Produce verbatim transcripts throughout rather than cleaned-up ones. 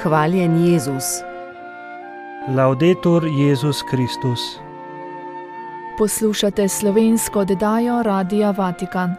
Hvaljen Jezus. Laudetur Jezus Kristus. Poslušate slovensko oddajo Radia Vatikan.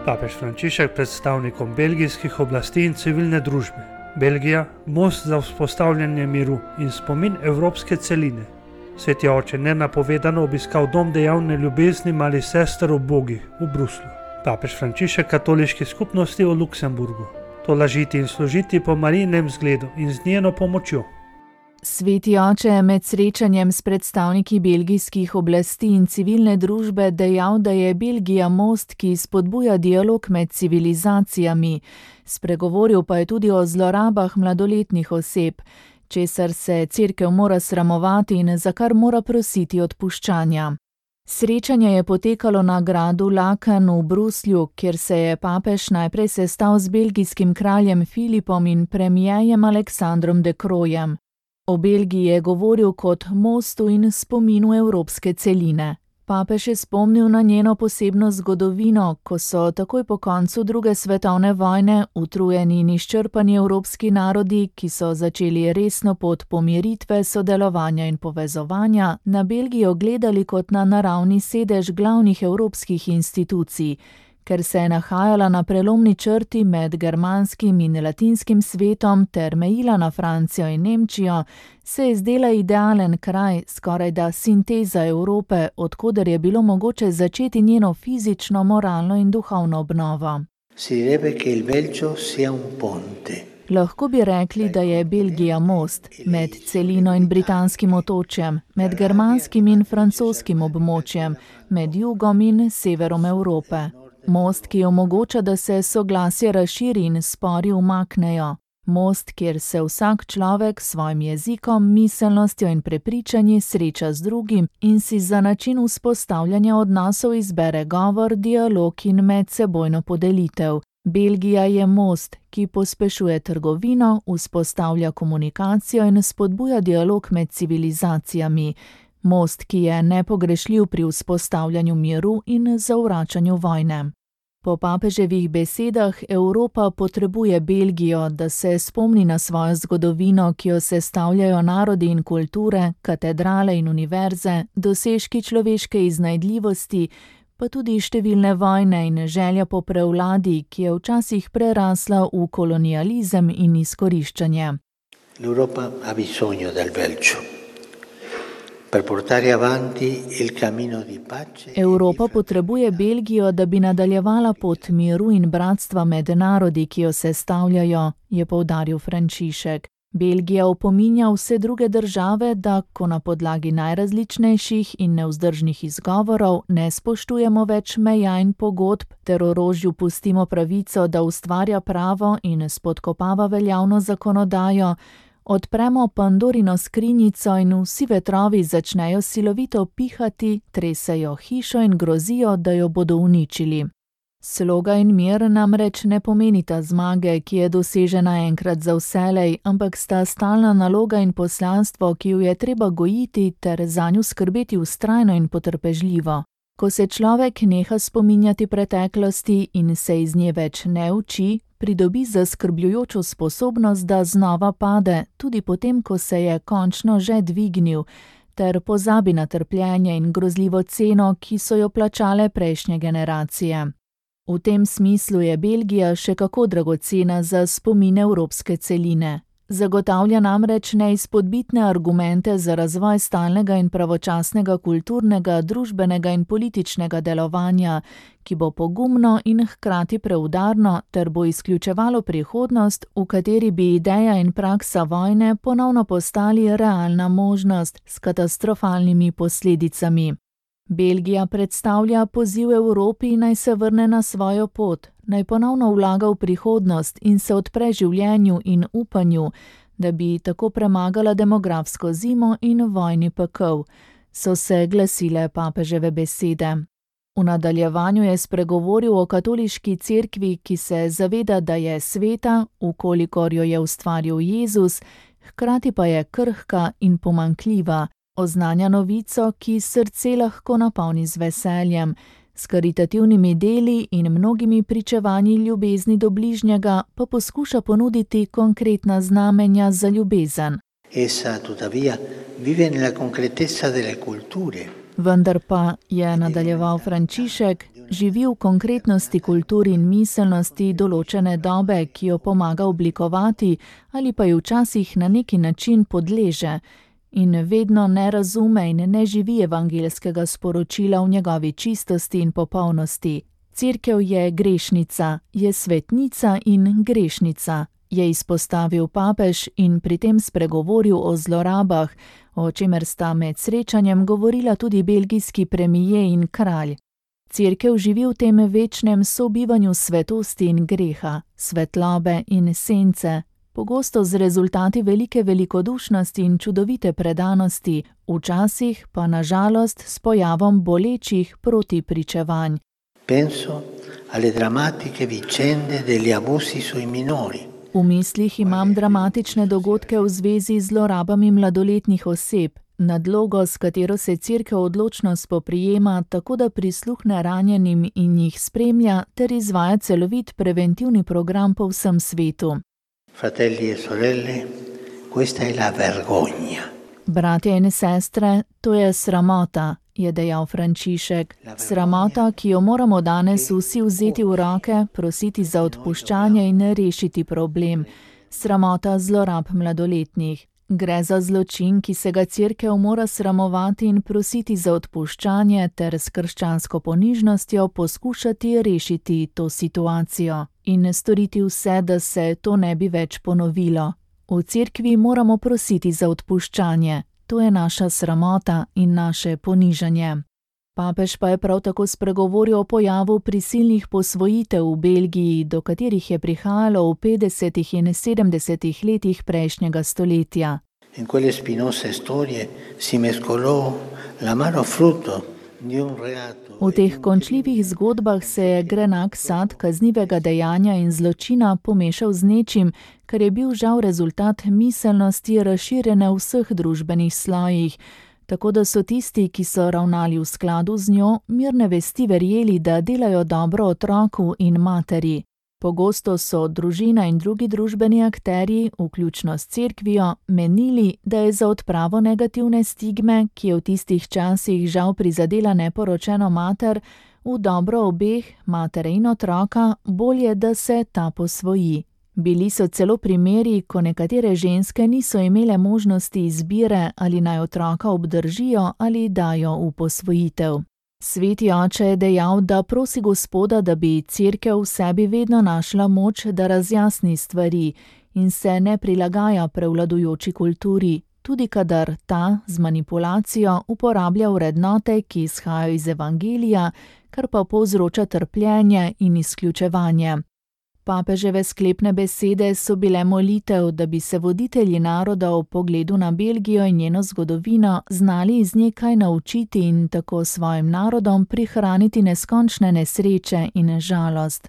Papež Frančišek predstavnikom belgijskih oblasti in civilne družbe. Belgija, most za vzpostavljanje miru in spomin evropske celine. Sveti oče nenapovedano obiskal dom dejavne ljubezni malih sester ubogih v Bruslju. Papež Frančišek katoliški skupnosti v Luksemburgu. Tolažiti in služiti po Marijinem zgledu in z njeno pomočjo. Sveti oče je med srečanjem s predstavniki belgijskih oblasti in civilne družbe dejal, da je Belgija most, ki spodbuja dialog med civilizacijami. Spregovoril pa je tudi o zlorabah mladoletnih oseb, česar se cerkev mora sramovati in za kar mora prositi odpuščanja. Srečanje je potekalo na gradu Laken v Bruslju, kjer se je papež najprej sestal z belgijskim kraljem Filipom in premierjem Aleksandrom de Croojem. O Belgiji je govoril kot mostu in spominu evropske celine. Papež je spomnil na njeno posebno zgodovino, ko so takoj po koncu druge svetovne vojne utrujeni in izčrpani evropski narodi, ki so začeli resno pot pomiritve, sodelovanja in povezovanja, na Belgijo gledali kot na naravni sedež glavnih evropskih institucij. Ker se je nahajala na prelomni črti med germanskim in latinskim svetom ter mejila na Francijo in Nemčijo, se je zdela idealen kraj, skorajda sinteza Evrope, od koder je bilo mogoče začeti njeno fizično, moralno in duhovno obnovo. Si direbbe che il Belgio sia un ponte. Lahko bi rekli, da je Belgija most med celino in britanskim otočjem, med germanskim in francoskim območjem, med jugom in severom Evrope. Most, ki omogoča, da se soglasje razširi in spori umaknejo. Most, kjer se vsak človek s svojim jezikom, miselnostjo in prepričanji sreča z drugim in si za način vzpostavljanja odnosov izbere govor, dialog in medsebojno podelitev. Belgija je most, ki pospešuje trgovino, vzpostavlja komunikacijo in spodbuja dialog med civilizacijami. Most, ki je nepogrešljiv pri vzpostavljanju miru in zavračanju vojne. Po papeževih besedah Evropa potrebuje Belgijo, da se spomni na svojo zgodovino, ki jo sestavljajo narodi in kulture, katedrale in univerze, dosežki človeške iznajdljivosti, pa tudi številne vojne in želja po prevladi, ki je včasih prerasla v kolonializem in izkoriščanje. L'Europa ha bisogno del Belgio. Per portare avanti il cammino di pace. Evropa potrebuje Belgijo, da bi nadaljevala pot miru in bratstva med narodi, ki jo sestavljajo, je poudaril Frančišek. Belgija opominja vse druge države, da ko na podlagi najrazličnejših in nevzdržnih izgovorov ne spoštujemo več meja in pogodb ter orožju pustimo pravico, da ustvarja pravo in spodkopava veljavno zakonodajo, odpremo Pandorino skrinjico in vsi vetrovi začnejo silovito pihati, tresejo hišo in grozijo, da jo bodo uničili. Sloga in mir namreč ne pomenita zmage, ki je dosežena enkrat za vselej, ampak sta stalna naloga in poslanstvo, ki jo je treba gojiti ter zanju skrbeti vztrajno in potrpežljivo. Ko se človek neha spominjati preteklosti in se iz nje več ne uči, pridobi zaskrbljujočo sposobnost, da znova pade, tudi potem, ko se je končno že dvignil, ter pozabi na trpljenje in grozljivo ceno, ki so jo plačale prejšnje generacije. V tem smislu je Belgija še kako dragocena za spomin evropske celine. Zagotavlja namreč neizpodbitne argumente za razvoj stalnega in pravočasnega kulturnega, družbenega in političnega delovanja, ki bo pogumno in hkrati preudarno ter bo izključevalo prihodnost, v kateri bi ideja in praksa vojne ponovno postali realna možnost s katastrofalnimi posledicami. Belgija predstavlja poziv Evropi, naj se vrne na svojo pot, naj ponovno vlaga v prihodnost in se odpre življenju in upanju, da bi tako premagala demografsko zimo in vojni pekel, so se glasile papeževe besede. V nadaljevanju je spregovoril o katoliški cerkvi, ki se zaveda, da je sveta, vkolikor jo je ustvaril Jezus, hkrati pa je krhka in pomanjkljiva, oznanja novico, ki srce lahko napolni z veseljem, S karitativnimi deli in mnogimi pričevanji ljubezni do bližnjega pa poskuša ponuditi konkretna znamenja za ljubezen. Essa, tuttavia, vive nella concretezza delle culture. Vendar pa, je nadaljeval Frančišek, živi v konkretnosti kultur in miselnosti določene dobe, ki jo pomaga oblikovati ali pa ji včasih na neki način podleže in vedno ne razume in ne živi evangeljskega sporočila v njegovi čistosti in popolnosti. Cerkev je grešnica, je svetnica in grešnica, je izpostavil papež in pri tem spregovoril o zlorabah, o čemer sta med srečanjem govorila tudi belgijski premije in kralj. Cerkev živi v tem večnem sobivanju svetosti in greha, svetlobe in sence, pogosto z rezultati velike velikodušnosti in čudovite predanosti, včasih pa na žalost s pojavom bolečih protipričevanj. Penso alle drammatiche vicende degli abusi sui minori. V mislih imam dramatične dogodke v zvezi z zlorabami mladoletnih oseb, nadlogo, s katero se Cerkev odločno spoprijema, tako da prisluhne ranjenim in jih spremlja ter izvaja celovit preventivni program po vsem svetu. Fratelli e sorelle, questa è la vergogna. Bratje in sestre, to je sramota, je dejal Frančišek. Sramota, ki jo moramo danes vsi vzeti v roke, prositi za odpuščanje in rešiti problem. Sramota zlorab mladoletnih. Gre za zločin, ki se ga Cerkev mora sramovati in prositi za odpuščanje ter s krščansko ponižnostjo poskušati rešiti to situacijo in storiti vse, da se to ne bi več ponovilo. V Cerkvi moramo prositi za odpuščanje. To je naša sramota in naše ponižanje. Papež pa je prav tako spregovoril o pojavu prisilnih posvojitev v Belgiji, do katerih je prihajalo v petdesetih in sedemdesetih letih prejšnjega stoletja. In quelle spinose storie si mescolò l'amaro frutto di un reato. V teh končljivih zgodbah se je grenak sad kaznivega dejanja in zločina pomešal z nečim, kar je bil žal rezultat miselnosti razširjene v vseh družbenih slojih, tako da so tisti, ki so ravnali v skladu z njo, mirne vesti verjeli, da delajo dobro otroku in materi. Pogosto so družina in drugi družbeni akterji, vključno s Cerkvijo, menili, da je za odpravo negativne stigme, ki je v tistih časih žal prizadela neporočeno mater, v dobro obeh, matere in otroka, bolje, da se ta posvoji. Bili so celo primeri, ko nekatere ženske niso imele možnosti izbire, ali naj otroka obdržijo ali dajo v posvojitev. Sveti oče je dejal, da prosi Gospoda, da bi Cerkev v sebi vedno našla moč, da razjasni stvari in se ne prilagaja prevladujoči kulturi, tudi kadar ta z manipulacijo uporablja vrednote, ki izhajajo iz evangelija, kar pa povzroča trpljenje in izključevanje. Papeževe sklepne besede so bile molitev, da bi se voditelji naroda v pogledu na Belgijo in njeno zgodovino znali iz nje kaj naučiti in tako svojim narodom prihraniti neskončne nesreče in žalost.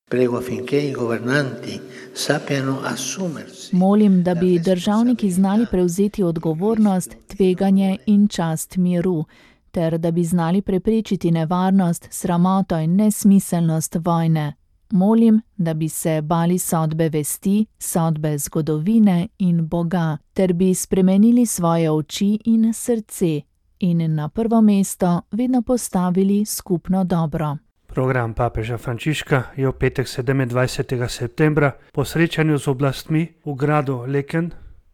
Prego affinché i governanti sappiano assumersi. Molim, da bi državniki znali prevzeti odgovornost, tveganje in čast miru, ter da bi znali preprečiti nevarnost, sramoto in nesmiselnost vojne. Molim, da bi se bali sodbe vesti, sodbe zgodovine in Boga, ter bi spremenili svoje oči in srce in na prvo mesto vedno postavili skupno dobro. Program papeža Frančiška je v petek sedemindvajsetega septembra po srečanju z oblastmi v gradu Laeken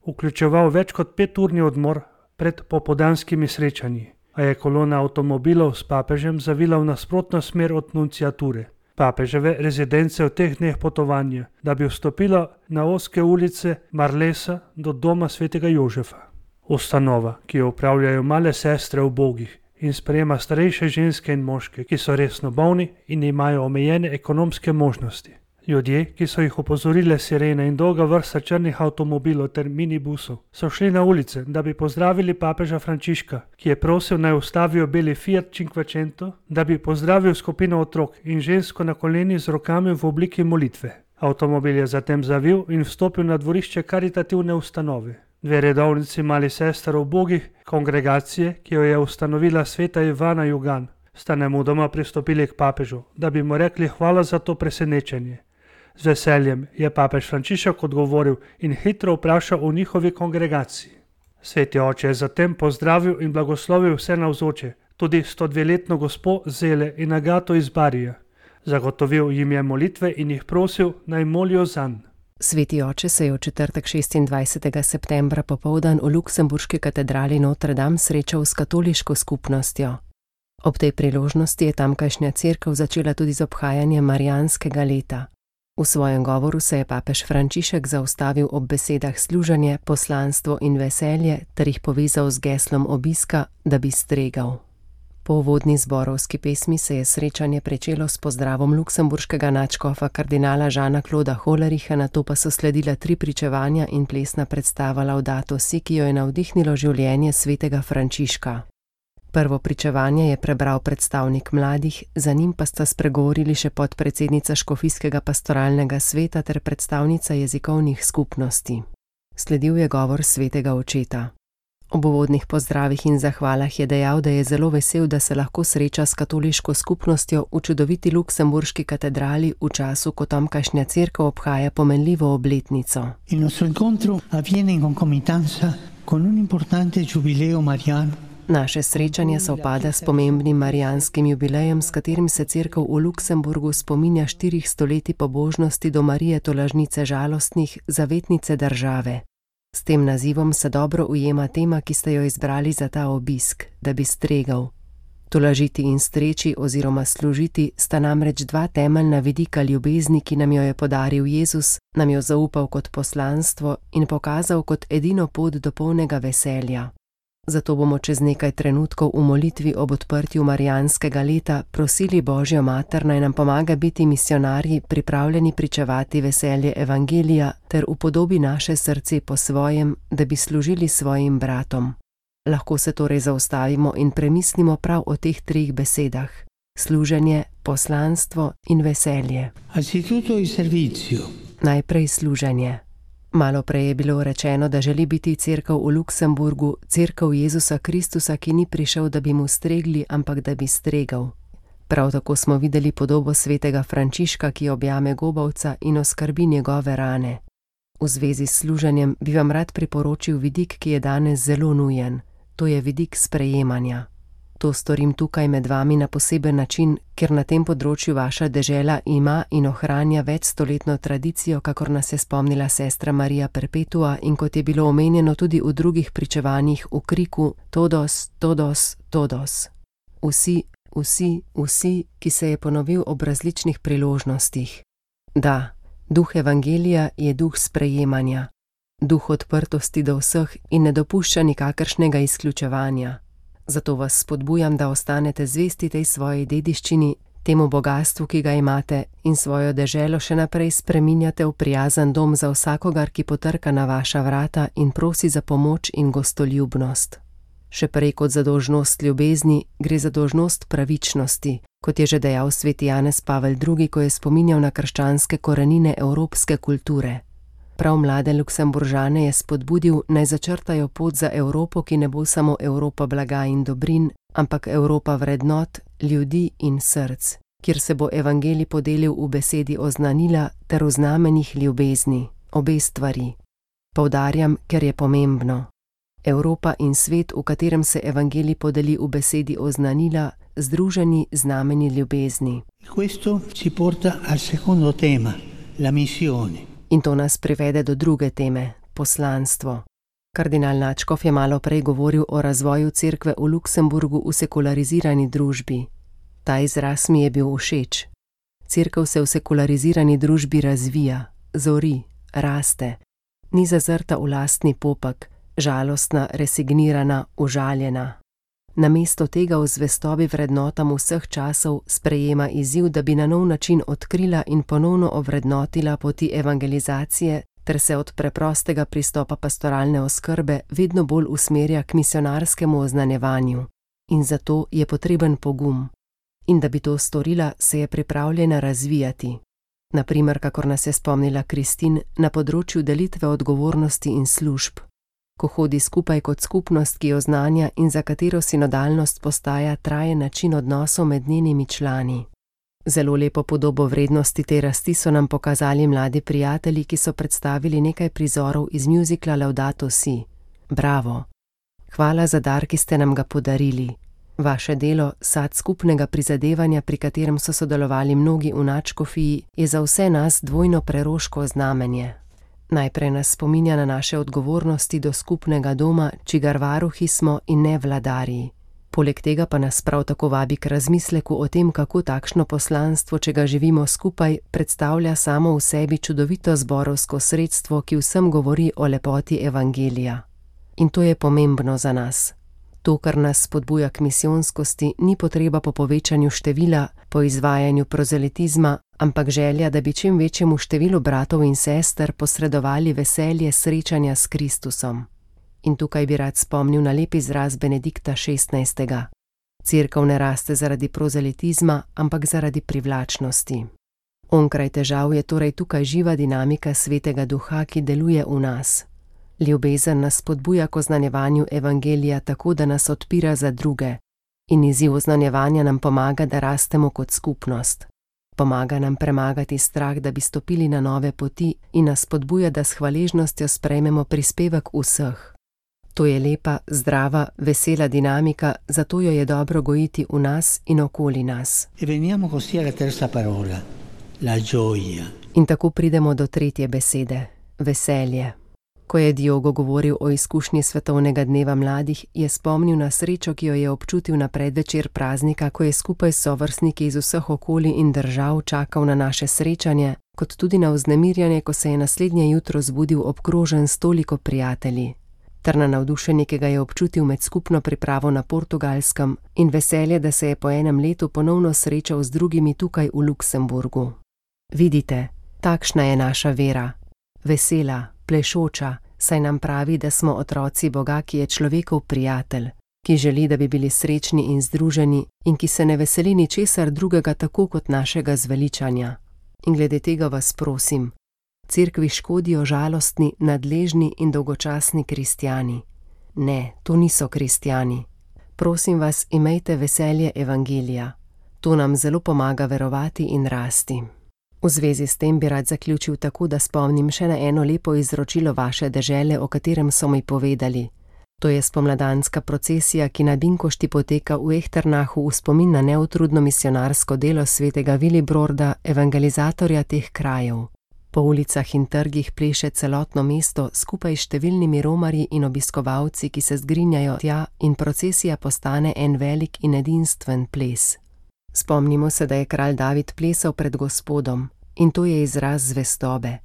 vključeval več kot peturni odmor pred popoldanskimi srečanji, a je kolona avtomobilov s papežem zavila v nasprotno smer od nunciature. Papeževe rezidence v teh dneh potovanja, da bi vstopila na ozke ulice Marlesa do doma svetega Jožefa. Ustanova, ki jo upravljajo male sestre ubogih in sprejema starejše ženske in moške, ki so resno bolni in imajo omejene ekonomske možnosti. Ljudje, ki so jih opozorile sirene in dolga vrsta črnih avtomobilov ter minibusov, so šli na ulice, da bi pozdravili papeža Frančiška, ki je prosil naj ustavijo beli Fiat Cinquecento, da bi pozdravil skupino otrok in žensko na koleni z rokami v obliki molitve. Avtomobil je zatem zavil in vstopil na dvorišče karitativne ustanove. Dve redovnici malih sester ubogih, kongregacije, ki jo je ustanovila sveta Ivana Jugan, sta nemudoma pristopili k papežu, da bi mu rekli hvala za to presenečenje. Z veseljem je papež Frančišek odgovoril in hitro vprašal o njihovi kongregaciji. Sveti oče je zatem pozdravil in blagoslovil vse navzoče, tudi sto dveletno gospo Zele in Agato iz Barija. Zagotovil jim je molitve in jih prosil, naj molijo zanj. Sveti oče se je v četrtek šestindvajsetega septembra popoldan v luksemburški katedrali Notre Dame srečal s katoliško skupnostjo. Ob tej priložnosti je tamkajšnja cerkev začela tudi z obhajanjem Marijanskega leta. V svojem govoru se je papež Frančišek zaustavil ob besedah služenje, poslanstvo in veselje ter jih povezal z geslom obiska, da bi stregal. Po uvodni zborovski pesmi se je srečanje pričelo s pozdravom luksemburškega nadškofa kardinala Žana Kloda Hollericha, nato pa so sledila tri pričevanja in plesna predstava Laudato si, ki jo je navdihnilo življenje svetega Frančiška. Prvo pričevanje je prebral predstavnik mladih, za njim pa sta spregovorili še podpredsednica Škofijskega pastoralnega sveta ter predstavnica jezikovnih skupnosti. Sledil je govor svetega očeta. Ob uvodnih pozdravih in zahvalah je dejal, da je zelo vesel, da se lahko sreča s katoliško skupnostjo v čudoviti luksemburški katedrali v času, ko tamkajšnja cerkev obhaja pomenljivo obletnico. Il nostro incontro avviene in concomitanza con un importante giubileo mariano. Naše srečanje sovpada s pomembnim marijanskim jubilejem, s katerim se cerkev v Luksemburgu spominja štirih stoletij pobožnosti do Marije tolažnice žalostnih, zavetnice države. S tem nazivom se dobro ujema tema, ki ste jo izbrali za ta obisk, da bi stregal. Tolažiti in streči oziroma služiti sta namreč dva temeljna vidika ljubezni, ki nam jo je podaril Jezus, nam jo zaupal kot poslanstvo in pokazal kot edino pot do polnega veselja. Zato bomo čez nekaj trenutkov v molitvi ob odprtju Marijanskega leta prosili Božjo mater, naj nam pomaga biti misionarji, pripravljeni pričevati veselje evangelija ter upodobi naše srce po svojem, da bi služili svojim bratom. Lahko se torej zaustavimo in premislimo prav o teh treh besedah: služenje, poslanstvo in veselje. Anzitutto il servizio. Najprej služenje. Malo prej je bilo rečeno, da želi biti cerkev v Luksemburgu, cerkev Jezusa Kristusa, ki ni prišel, da bi mu stregli, ampak da bi stregal. Prav tako smo videli podobo svetega Frančiška, ki objame gobavca in oskrbi njegove rane. V zvezi s služenjem bi vam rad priporočil vidik, ki je danes zelo nujen. To je vidik sprejemanja. To storim tukaj med vami na poseben način, ker na tem področju vaša dežela ima in ohranja večstoletno tradicijo, kakor nas je spomnila sestra Marija Perpetua in kot je bilo omenjeno tudi v drugih pričevanjih v kriku Todos, Todos, Todos. Vsi, vsi, vsi, ki se je ponovil ob različnih priložnostih. Da, duh evangelija je duh sprejemanja, duh odprtosti do vseh in ne dopušča nikakršnega izključevanja. Zato vas spodbujam, da ostanete zvesti tej svoji dediščini, temu bogastvu, ki ga imate, in svojo deželo še naprej spreminjate v prijazen dom za vsakogar, ki potrka na vaša vrata in prosi za pomoč in gostoljubnost. Še prej kot za dolžnost ljubezni, gre za dolžnost pravičnosti, kot je že dejal sveti Janez Pavel drugi, ko je spominjal na krščanske korenine evropske kulture. Prav mlade Luksemburžane je spodbudil, naj začrtajo pot za Evropo, ki ne bo samo Evropa blaga in dobrin, ampak Evropa vrednot, ljudi in src, kjer se bo evangelij podelil v besedi oznanila ter v znamenjih ljubezni, obe stvari. Poudarjam, ker je pomembno. Evropa in svet, v katerem se evangelij podeli v besedi oznanila, združeni znamenji ljubezni. Questo ci porta al secondo tema, la missione. In to nas privede do druge teme, poslanstvo. Kardinal Nadškof je malo prej govoril o razvoju cerkve v Luksemburgu v sekularizirani družbi. Ta izraz mi je bil všeč. Cerkev se v sekularizirani družbi razvija, zori, raste. Ni zazrta v lastni popek, žalostna, resignirana, užaljena. Namesto tega v zvestobi vrednotam vseh časov sprejema izziv, da bi na nov način odkrila in ponovno ovrednotila poti evangelizacije ter se od preprostega pristopa pastoralne oskrbe vedno bolj usmerja k misionarskemu oznanjevanju. In zato je potreben pogum. In da bi to storila, se je pripravljena razvijati. Naprimer, kakor nas je spomnila Kristin, na področju delitve odgovornosti in služb. ko hodi skupaj kot skupnost, ki jo znanja in za katero sinodalnost postaja trajen način odnosov med njenimi člani. Zelo lepo podobo vrednosti te rasti so nam pokazali mladi prijatelji, ki so predstavili nekaj prizorov iz mjuzikla Laudato si. Bravo! Hvala za dar, ki ste nam ga podarili. Vaše delo, sad skupnega prizadevanja, pri katerem so sodelovali mnogi v nadškofiji, je za vse nas dvojno preroško znamenje. Najprej nas spominja na naše odgovornosti do skupnega doma, čigar varuhi smo in ne vladarji. Poleg tega pa nas prav tako vabi k razmisleku o tem, kako takšno poslanstvo, če ga živimo skupaj, predstavlja samo v sebi čudovito zborovsko sredstvo, ki vsem govori o lepoti evangelija. In to je pomembno za nas. To, kar nas spodbuja k misijonskosti, ni potreba po povečanju števila, po izvajanju prozelitizma, ampak želja, da bi čim večjemu številu bratov in sester posredovali veselje srečanja s Kristusom. In tukaj bi rad spomnil na lep izraz Benedikta šestnajstega. Cerkev ne raste zaradi prozelitizma, ampak zaradi privlačnosti. Onkraj težav je torej tukaj živa dinamika Svetega Duha, ki deluje v nas. Ljubezen nas spodbuja k oznanjevanju evangelija tako, da nas odpira za druge. In izziv oznanjevanja nam pomaga, da rastemo kot skupnost. Pomaga nam premagati strah, da bi stopili na nove poti, in nas spodbuja, da s hvaležnostjo sprejmemo prispevek vseh. To je lepa, zdrava, vesela dinamika, zato jo je dobro gojiti v nas in okoli nas. In tako pridemo do tretje besede, veselje. Ko je Diogo govoril o izkušnji svetovnega dneva mladih, je spomnil na srečo, ki jo je občutil na predvečer praznika, ko je skupaj s sovrstniki iz vseh okolij in držav čakal na naše srečanje, kot tudi na vznemirjanje, ko se je naslednje jutro zbudil obkrožen s toliko prijatelji. Ter na navdušenje, ki ga je občutil med skupno pripravo na Portugalskem, in veselje, da se je po enem letu ponovno srečal z drugimi tukaj v Luksemburgu. Vidite, takšna je naša vera. Vesela, plešoča, saj nam pravi, da smo otroci Boga, ki je človekov prijatelj, ki želi, da bi bili srečni in združeni in ki se ne veseli ničesar drugega tako kot našega zveličanja. In glede tega vas prosim, cerkvi škodijo žalostni, nadležni in dolgočasni kristjani. Ne, to niso kristjani. Prosim vas, imejte veselje evangelija. To nam zelo pomaga verovati in rasti. V zvezi s tem bi rad zaključil tako, da spomnim še na eno lepo izročilo vaše dežele, o katerem so mi povedali. To je spomladanska procesija, ki na Binkošti poteka v Ehternahu v spomin na neutrudno misionarsko delo svetega Vilibrorda, evangelizatorja teh krajev. Po ulicah in trgih pleše celotno mesto skupaj s številnimi romarji in obiskovalci, ki se zgrinjajo tja, in procesija postane en velik in edinstven ples. Spomnimo se, da je kralj David plesal pred Gospodom, in to je izraz zvestobe.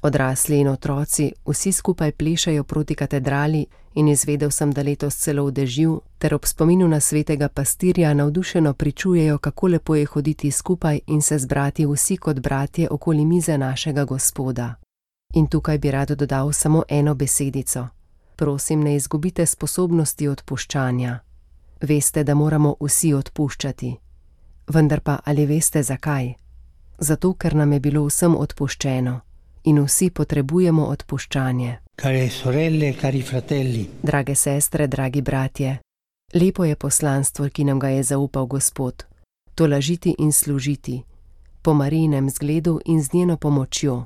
Odrasli in otroci vsi skupaj plešajo proti katedrali in izvedel sem, da letos celo v dežju, ter ob spominu na svetega pastirja navdušeno pričujejo, kako lepo je hoditi skupaj in se zbrati vsi kot bratje okoli mize našega Gospoda. In tukaj bi rad dodal samo eno besedico. Prosim, ne izgubite sposobnosti odpuščanja. Veste, da moramo vsi odpuščati. Vendar pa ali veste zakaj? Zato, ker nam je bilo vsem odpuščeno in vsi potrebujemo odpuščanje. Care sorelle, cari fratelli. Drage sestre, dragi bratje, lepo je poslanstvo, ki nam ga je zaupal Gospod. Tolažiti in služiti, po Marijinem zgledu in z njeno pomočjo.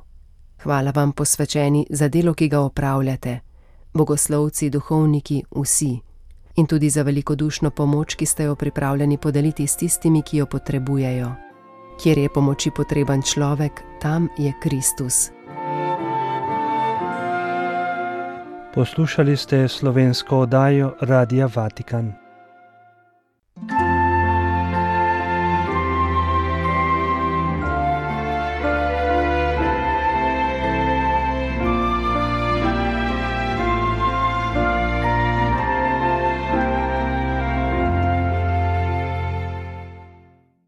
Hvala vam, posvečeni, za delo, ki ga opravljate, bogoslovci, duhovniki, vsi. In tudi za velikodušno pomoč, ki ste jo pripravljeni podeliti s tistimi, ki jo potrebujejo. Kjer je pomoči potreben človek, tam je Kristus. Poslušali ste slovensko oddajo Radia Vatikan.